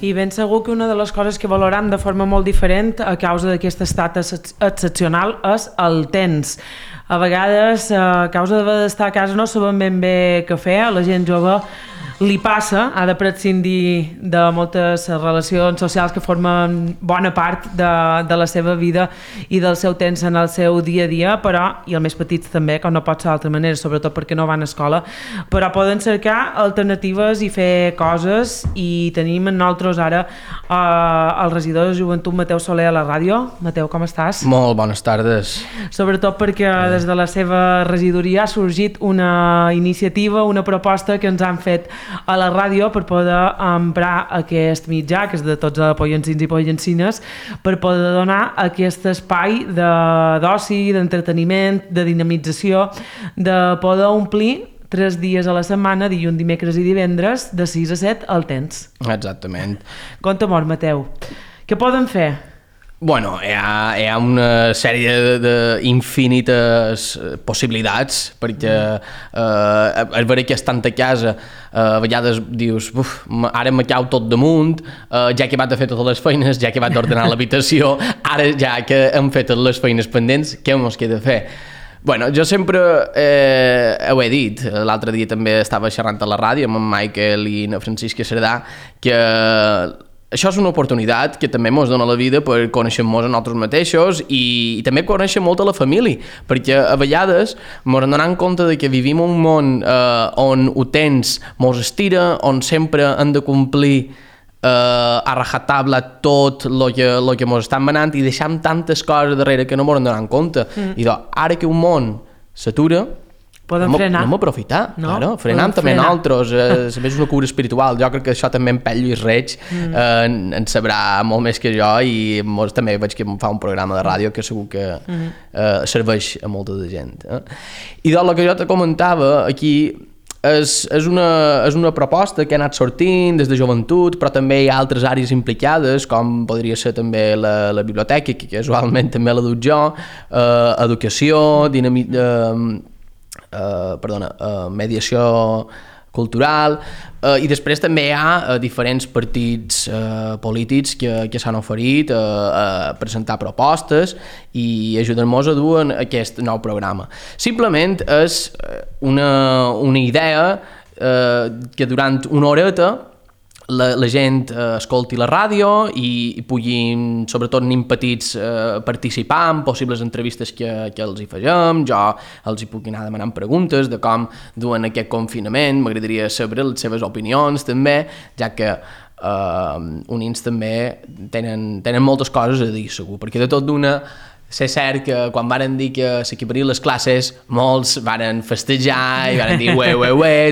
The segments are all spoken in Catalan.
I ben segur que una de les coses que valoram de forma molt diferent a causa d'aquest estat excepcional és el temps. A vegades, a causa d'estar a casa, no sabem ben bé què fer, a la gent jove li passa, ha de prescindir de moltes relacions socials que formen bona part de la seva vida i del seu temps en el seu dia a dia, però, i els més petits també, com no pot ser d'altra manera, sobretot perquè no van a escola, però poden cercar alternatives i fer coses, i tenim en nosaltres ara el regidor de Joventut, Mateu Soler, a la ràdio. Mateu, com estàs? Molt bones tardes. Sobretot perquè des de la seva regidoria ha sorgit una iniciativa, una proposta que ens han fet a la ràdio per poder emprar aquest mitjà, que és de tots els pollencins i pollencines, per poder donar aquest espai d'oci, d'entreteniment, de dinamització, de poder omplir 3 dies a la setmana, dilluns, dimecres i divendres, de 6 a 7 al temps. Exactament. Compte-m'ho, Mateu. Què poden fer? Bueno, hi ha una sèrie d'infinites possibilitats, perquè és vera que estant a casa a vegades dius, ara me cau tot damunt, ja que he acabat de fer totes les feines, ja que he acabat d'ordenar l'habitació, ara ja que hem fet les feines pendents, què mos queda fer? Bueno, jo sempre ho he dit, l'altre dia també estava xerrant a la ràdio amb en Michael i en Francisca Cerdà, que això és una oportunitat que també ens dona la vida per conèixer-nos a nosaltres mateixos i també conèixer molt a la família, perquè a vegades ens donem compte de que vivim un món on ho tens ens estira, on sempre hem de complir a rajatabla tot el que ens estan manant i deixem tantes coses darrere que no ens donem compte. I doncs, ara que un món s'atura, frenar. Anem a aprofitar, no? Claro, frenem també nosaltres, és una cura espiritual. Jo crec que això també en Pell Lluís Reig en sabrà molt més que jo, i també veig que em fa un programa de ràdio que segur que serveix a molta de gent. I doncs el que jo te comentava aquí és una proposta que ha anat sortint des de joventut, però també hi ha altres àrees implicades, com podria ser també la biblioteca, que casualment també la duc jo, educació, mediació cultural, i després també hi ha diferents partits polítics que s'han oferit a presentar propostes i ajudar-nos a dur en aquest nou programa. Simplement és una idea que durant una horeta la gent escolti la ràdio i puguin, sobretot nen petits, participar en possibles entrevistes que els hi fagem. Jo els hi puc anar demanant preguntes de com duen aquest confinament, m'agradaria saber les seves opinions també, ja que unins també tenen moltes coses a dir, segur, perquè de tot d'una és cert que quan varen dir que s'equiparien les classes, molts varen festejar i varen dir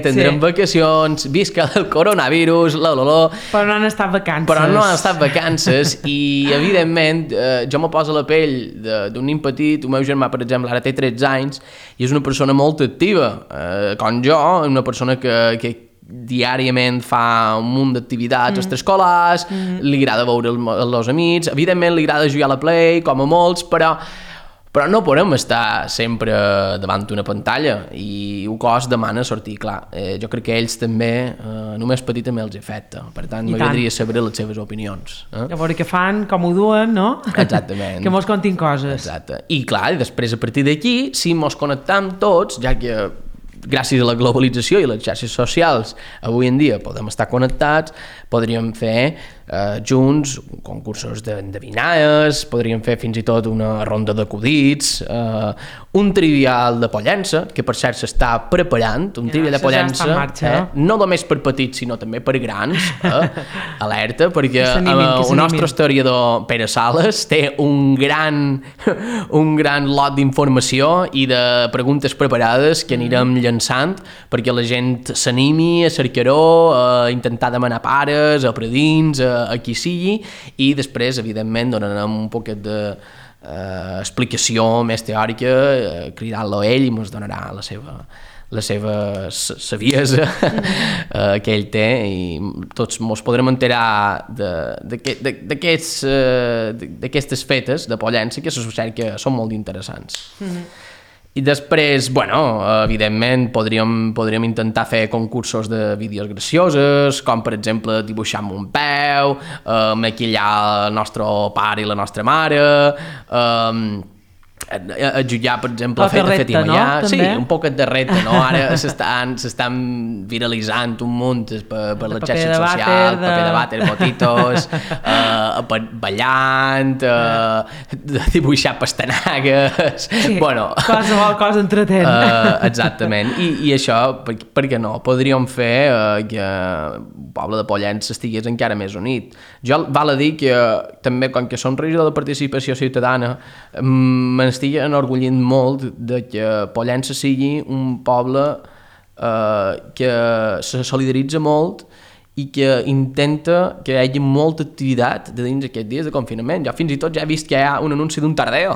tindrem vacacions, visca el coronavirus, Però no han estat vacances. Però no han estat vacances i, evidentment, jo me poso a la pell d'un nen petit. El meu germà, per exemple, ara té 13 anys i és una persona molt activa, com jo, una persona que diàriament fa un munt d'activitats extraescolars, li agrada veure els amics, evidentment li agrada jugar a la Play, com a molts, però no podem estar sempre davant d'una pantalla i el cos demana sortir, clar. Jo crec que ells també, només petit també els afecta, per tant m'agradaria saber les seves opinions. A veure què fan, com ho duen, no? Exactament. Que mos contin coses. Exacte. I clar, després a partir d'aquí, si mos connectam tots, ja que gràcies a la globalització i les xarxes socials avui en dia podem estar connectats, podríem fer junts concursos d'endevinalles, podríem fer fins i tot una ronda d'acudits, un trivial de Pollença, que per cert s'està preparant, un trivial de Pollença, no només per petits sinó també per grans, alerta, perquè el nostre historiador Pere Sales té un gran lot d'informació i de preguntes preparades que anirem llançant perquè la gent s'animi a cercar-ho, a intentar demanar pares, a predins, a qui sigui, i després, evidentment, donarem un poquet d'explicació més teòrica, cridant-lo a ell i ens donarà la seva saviesa que ell té, i tots ens podrem enterar d'aquestes fetes de Pollença, que se succeeix que són molt interessants. I després, bueno, evidentment podríem intentar fer concursos de vídeos gracioses, com per exemple dibuixar amb un peu, maquillar el nostre pare i la nostra mare, a jutjar, per exemple, fer repte, no? Sí, un poquet de repte, no? Ara s'estan viralitzant un munt per les xarxes socials, paper de vàter, botitos, ballant, dibuixar pastanagues... Sí, bueno, qualsevol cosa entretent. Exactament, i això, per què no? Podríem fer que el poble de Pollença estigués encara més unit. Jo val a dir que també, com que som regidor de participació ciutadana, m'estic enorgullint molt de que Pollença sigui un poble que se solidaritza molt i que intenta que hi hagi molta activitat de dins aquests dies de confinament. Jo fins i tot ja he vist que hi ha un anunci d'un tardeo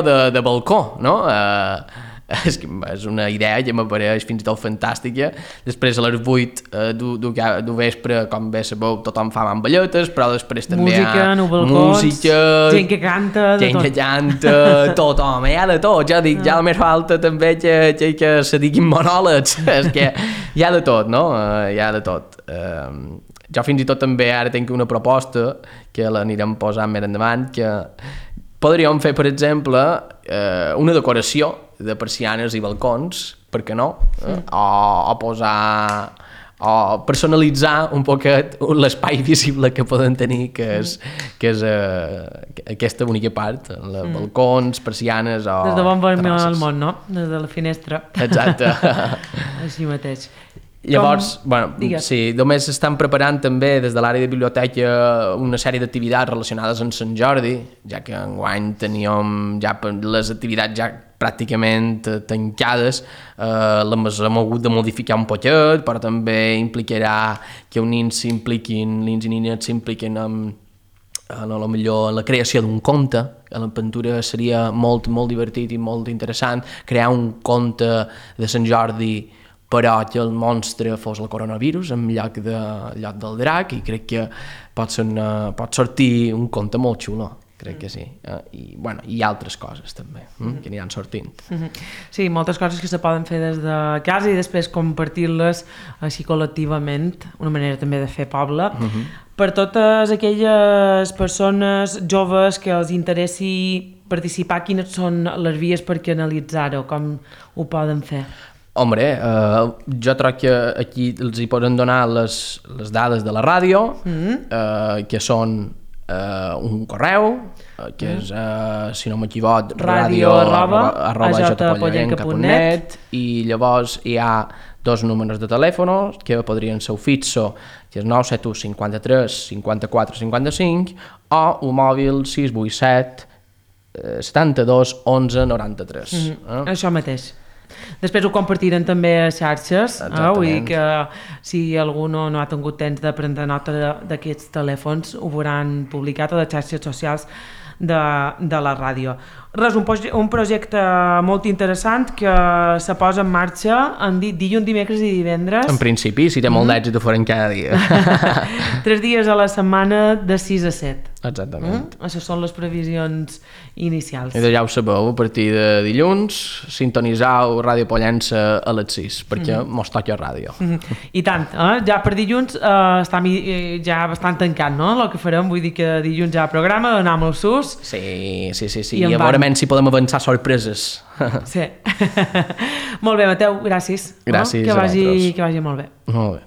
de balcó, no? És una idea que m'apareix fins i tot fantàstica. Després a les 8 du vespre, com bé sabeu, tothom fa mamballetes, però després també música, música, gent que canta, tothom, hi ha de tot. Jo dic, ja només falta també que se diguin monòlegs, és que hi ha de tot, no? Hi ha de tot. Jo fins i tot també ara tinc una proposta que l'anirem posant més endavant, que podríem fer, per exemple, una decoració de persianes i balcons, per què no? O posar... o personalitzar un poquet l'espai visible que poden tenir, que és aquesta única part, balcons, persianes o... Des de bon vermell al món, no? Des de la finestra. Exacte. Així mateix. Llavors, sí, només estan preparant també des de l'àrea de biblioteca una sèrie d'activitats relacionades amb Sant Jordi, ja que enguany teníem ja les activitats ja pràcticament tancades, hem hagut de modificar un poquet, però també implicarà que els nins i nines s'impliquin en la creació d'un conte. A l'aventura seria molt, molt divertit i molt interessant crear un conte de Sant Jordi, però que el monstre fos el coronavirus en lloc del drac, i crec que pot sortir un conte molt xulo, crec que sí. I altres coses també, que aniran sortint. Sí, moltes coses que se poden fer des de casa i després compartir-les així col·lectivament, una manera també de fer poble. Per totes aquelles persones joves que els interessi participar, quines són les vies per canalitzar-ho, com ho poden fer? Hombre, jo crec que aquí els hi poden donar les dades de la ràdio, que són un correu, que és, si no m'equivoc, radio@ajpollenca.net, i llavors hi ha 2 números de telèfon, que podrien ser el fixo, que és 971 53 54 55, o el mòbil 687 72 11 93. Això mateix. Després ho compartiran també a xarxes, vull dir que si algú no ha tingut temps de prendre nota d'aquests telèfons, ho veuran publicat a les xarxes socials de la ràdio. Res, un projecte molt interessant que se posa en marxa en dilluns, dimecres i divendres. En principi, si té molt d'èxit, ho farem cada dia. 3 dies a la setmana de 6 a 7. Exactament. Això són les previsions inicials. I ja ho sabeu, a partir de dilluns sintonitzau Ràdio Pollença a les 6, perquè mos toca ràdio. I tant, ja per dilluns està ja bastant tancat, no? El que farem, vull dir que dilluns ja programa, donem el sus. Sí, i a veure si podem avançar sorpreses. Sí. Molt bé, Mateu, gràcies. Gràcies a vosaltres. Que vagi molt bé. Molt bé.